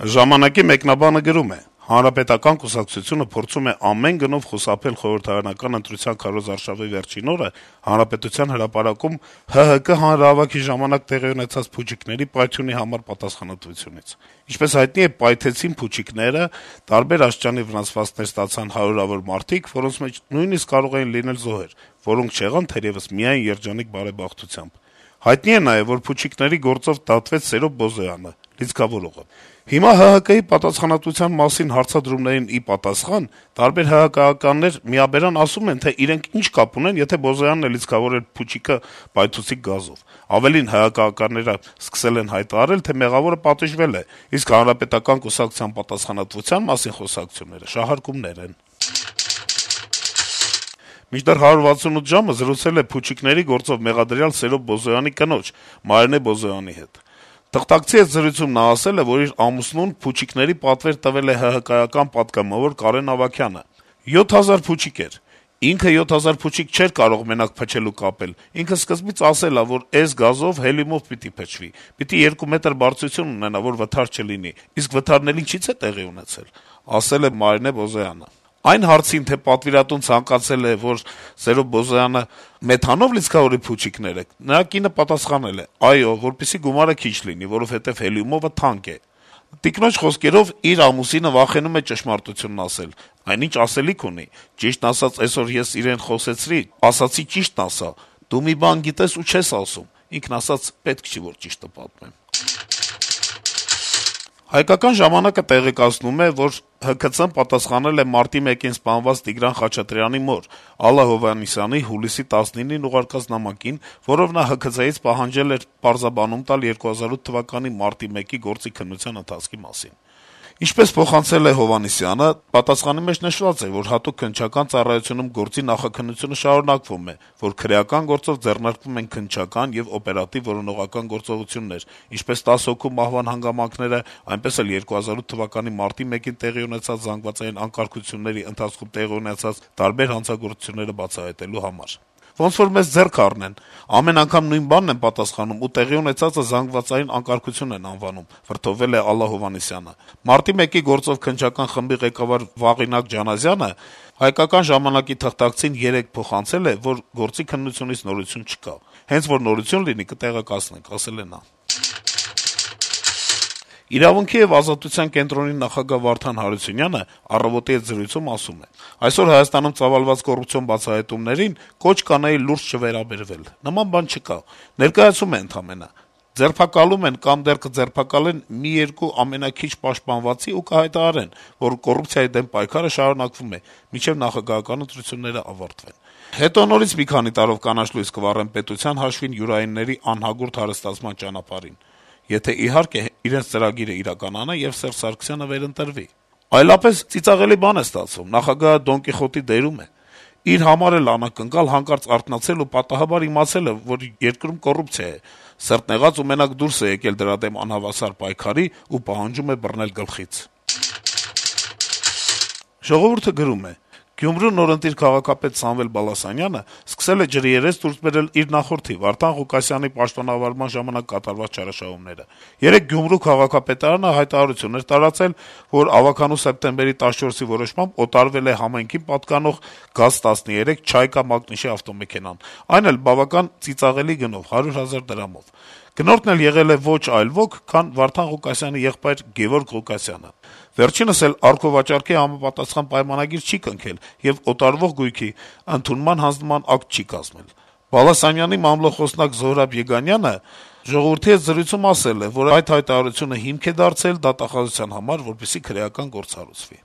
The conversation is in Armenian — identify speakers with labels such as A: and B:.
A: Ժամանակի մեկնաբանը գրում է. - «Հանրապետական կուսակցությունը փորձում է ամեն գնով խուսափել խորհրդարանական ընտրության քարոզարշավի վերջին օրը Հանրապետության հրապարակում ՀՀԿ հանրահավաքի ժամանակ տեղի ունեցած փուչիկների պայթյունի համար պատասխանատվությունից: Ինչպես հայտնի է, պայթեցին փուչիկները, տարբեր աստիճանի վնասվածքներ ստացան հարյուրավոր մարդիկ, որոնց մեջ նույնիսկ կարող էին լինել զոհեր, որոնք չեղան թերեւս միայն երջանիկ բարեբախտությամբ: Հայտնի է նաեւ, որ փուչիկների գործով դատվեց Սերո Բոզոյանը, լիցքավորողը: Հիմա ՀՀԿ-ի պատասխանատվության մասին հարցադրումներին ի պատասխան տարբեր ՀՀԿ-ականներ միաբերան ասում են, թե իրենք ինչ կապ ունեն, եթե Բոզոյանն է լիցքավորել փուչիկը պայթուցիկ գազով: Ավելին, ՀՀԿ-ականները սկսել են հայտարարել, թե մեղավորը պատժվել է, իսկ Հանրապետական կուսակցության պատասխանատվության մասին խոսակցությունները շահարկումներ են»: Մինչդեռ 168 ժամը զրուցել է փուչիկների գործով մեղադրյալ Սերո Բոզոյանի կնոջ` Մարինե Բոզոյանի հետ: Թղթակցի հետ զրույցում նա ասել է, որ իր ամուսնուն փուչիկների պատվեր տվել է ՀՀԿ-ական պատգամավոր Կարեն Ավագյանը: 7000 փուչիկ էր: Ինքը 7000 փուչիկ չէր կարող մենակ փչել ու կապել: Ինքը սկզբից ասել ա, որ էս գազով, հելիումով պիտի փչվի, պիտի 2 մետր բարձրություն ունենա, որ վթար չլինի: Իսկ վթարն էլ ինչի՞ց է տեղի ունեցել, ասել է Մարինե Բոզոյանը: Այն հարցին, թե պատվիրատուն ցանկացել է, որ Սերո Բոզոյանը մեթանով լիցքավորի փուչիկները, նրա կինը պատասխանել է. «Այո, որպեսզի գումարը քիչ լինի, որովհետեւ հելիումովը թանկ է»: Տիկնոջ խոսքերով, իր ամուսինը վախենում է ճշմարտությունն ասել: Այնինչ ասելիք ունի: «Ճիշտն ասած, էսօր ես իրեն խոսեցրի, ասացի ճիշտն ասա: Դու մի բան գիտես ու չես ասում»: Ինքն ասաց` պետք չի, որ ճիշտը պատմեմ: «Հայկական ժամանակ»-ը տեղեկացնում է, որ ՀՔՑ-ն պատասխանել է մարտի 1-ին սպանված Տիգրան Խաչատրյանի մոր` Ալլա Հովհաննիսյանի հուլիսի 19-ին ուղարկած նամակին, որով նա ՀՔԾ-ից պահանջել էր պարզաբանում տալ 2008 թվականի մարտի 1-ի գործի քննության ընթացքի մասին: Ինչպես փոխանցել է Հովհաննիսյանը, պատասխանի մեջ նշված է, որ հատուկ քննչական ծառայությունում գործի նախաքննությունը շարունակվում է, որ քրեական գործով ձեռնարկվում են քննչական եւ օպերատիվ որոնողական գործողություններ, ինչպես 10 հոգու մահվան հանգամանքները, այնպես էլ 2008 թվականի մարտի 1-ին տեղի ունեցած զանգվածային անկարգությունների ընթացքում տեղի ունեցած տարբեր հանցագործությունները բացահայտելու համար: Ոնց որ մեզ ձեռք առնեն: Ամեն անգամ նույն բանն են պատասխանում ու տեղի ունեցածը զանգվածային անկարգություն են անվանում», - վրդովվել է Ալլա Հովհաննիսյանը: Մարտի 1-ի գործով քննչական խմբի ղեկավար Վաղինակ Ջանազյանը «Հայկական ժամանակ»-ի թղթակցին երեկ փոխանցել է, որ գործի քննությունից նորություն չկա: «Հենց որ նորություն լինի, կտեղեկացնենք», - ասել է նա: «Իրավունքի եւ ազատության» կենտրոնի նախագահ Վարդան Հարությունյանը «Առավոտ»-ի հետ զրույցում ասում է. - «Այսօր Հայաստանում ծավալված կոռուպցիոն բացահայտումներին կոչ կանեի լուրջ չվերաբերվել: Նման բան չկա: Ներկայացում է ընդամենը: Ձերբակալում են կամ դեռ կձերբակալեն 1-2 ամենաքիչ պաշտպանվածի ու կհայտարարեն, որ կոռուպցիայի դեմ պայքարը շարունակվում է, մինչեւ նախագահական ընտրությունները ավարտվեն: Հետո նորից մի քանի տարով կանաչ լույս կվառեն պետության հաշվին յուրայինների անհագուրդ հարստացման ճանապարհին: Եթե, իհարկե, իրենց ծրագիրը իրականանա եւ Սերժ Սարգսյանը վերընտրվի: Այլապես ծիծաղելի բան է ստացվում: Նախագահը Դոն Կիխոտի դերում է: Իր համար էլ անակնկալ հանկարծ արթնացել ու պատահաբար իմացել է, որ երկրում կոռուպցիա է, սրտնեղած ու մենակ դուրս է եկել դրա դեմ անհավասար պայքարի ու պահանջում է բռնել գլխից»: «Ժողովուրդ»-ը գրում է. - «Գյումրու նորընտիր քաղաքապետ Սամվել Բալասանյանը սկսել է ջրի երես դուրս բերել իր նախորդի` Վարդան Ղուկասյանի պաշտոնավարման ժամանակ կատարված չարաշահումները: Երեկ Գյումրու քաղաքապետարանը հայտարարություն էր տարածել, որ ավագանու սեպտեմբերի 14-ի որոշմամբ օտարվել է համայնքին պատկանող ԳԱԶ-13 «Չայկա» մակնիշի ավտոմեքենան, այն էլ բավական ծիծաղելի գնով` 100 000 դրամով: Գնորդն էլ եղել է ոչ այլ ոք, քան Վարդան Ղուկասյանի եղբայր Գևորգ Ղուկասյանը: Վերջինս էլ առքովաճառքի համապատասխան պայմանագիր չի կնքել եւ օտարվող գույքի ընդունման հանձնման ակտ չի կազմել: Բալասանյանի մամլոխոսնակ Զոհրաբ Եգանյանը «Ժողովուրդ»-ի հետ զրույցում ասել է, որ այդ հայտարարությունը հիմք է դարձել դատախազության համար, որպեսզի քրեական գործ հարուցվի: